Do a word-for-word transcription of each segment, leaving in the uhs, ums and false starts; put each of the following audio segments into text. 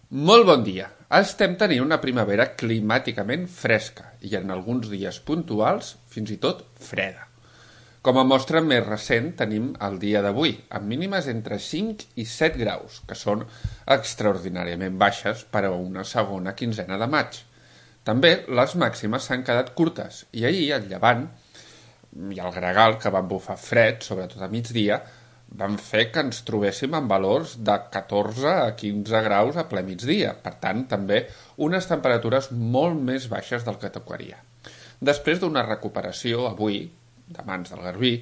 Molt bon dia. Estem tenint una primavera climàticament fresca i en alguns dies puntuals fins i tot freda. Com a mostra més recent tenim el dia d'avui, amb mínimes entre cinc i set graus, que són extraordinàriament baixes per a una segona quinzena de maig. També les màximes s'han quedat curtes i ahir el llevant i el gregal, que van bufar fred, sobretot a migdia, van fer que ens trobéssim en valors de catorze a quinze graus a ple migdia. Per tant, també unes temperatures molt més baixes del que tocaria. Després d'una recuperació avui, de mans del garbí,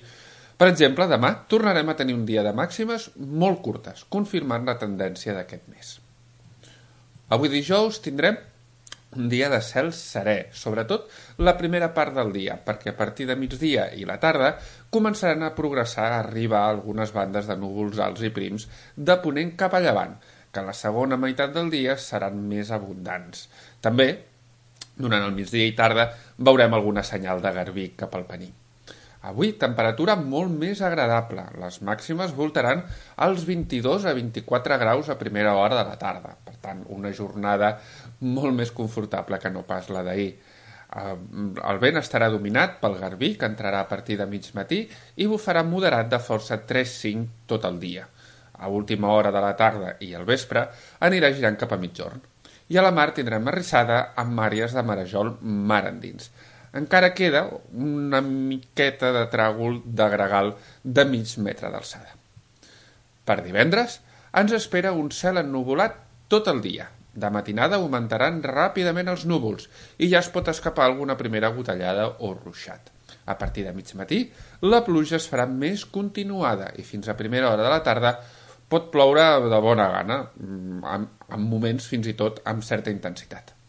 per exemple, demà tornarem a tenir un dia de màximes molt curtes, confirmant la tendència d'aquest mes. Avui dijous tindrem un dia de cel serè, sobretot la primera part del dia, perquè a partir de migdia i la tarda començaran a progressar a arribar algunes bandes de núvols alts i prims de ponent cap a llevant, que a la segona meitat del dia seran més abundants. També, durant el migdia i tarda, veurem alguna senyal de garbí cap al Pení. Avui, temperatura molt més agradable. Les màximes voltaran als vint-i-dos a vint-i-quatre graus a primera hora de la tarda. Per tant, una jornada molt més confortable que no pas la d'ahir. El vent estarà dominat pel garbí, que entrarà a partir de mig matí i bufarà moderat de força tres cinc tot el dia. A última hora de la tarda i al vespre anirà girant cap a mitjorn. I a la mar tindrem arrissada amb àrees de marejol mar endins. Encara queda una miqueta de tràgol de gregal de mig metre d'alçada. Per divendres ens espera un cel ennuvolat tot el dia. De matinada augmentaran ràpidament els núvols i ja es pot escapar alguna primera gotellada o ruixat. A partir de mig matí, la pluja es farà més continuada i fins a primera hora de la tarda pot ploure de bona gana, en moments fins i tot amb certa intensitat.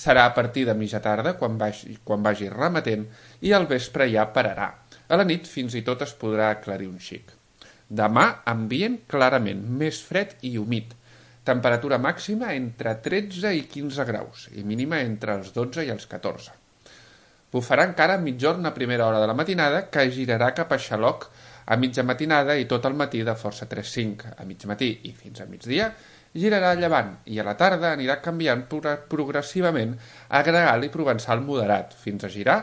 Serà a partir de mitja tarda quan vagi, quan vagi remetent i al vespre ja pararà. A la nit fins i tot es podrà aclarir un xic. Demà ambient clarament més fred i humit. Temperatura màxima entre tretze i quinze graus i mínima entre els dotze i els catorze. Bufarà encara a mitjorn a primera hora de la matinada, que girarà cap a Xaloc a mitja matinada i tot el matí de força tres cinc. A mig matí i fins a migdia girarà a llevant i a la tarda anirà canviant progressivament a gregal i provençal moderat, fins a girar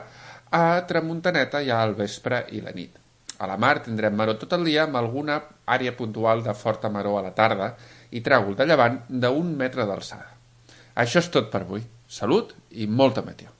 a tramuntaneta ja al vespre i la nit. A la mar tindrem maror tot el dia amb alguna àrea puntual de forta maror a la tarda i tràgol de llevant d'un metre d'alçada. Això és tot per avui. Salut i molta meteor.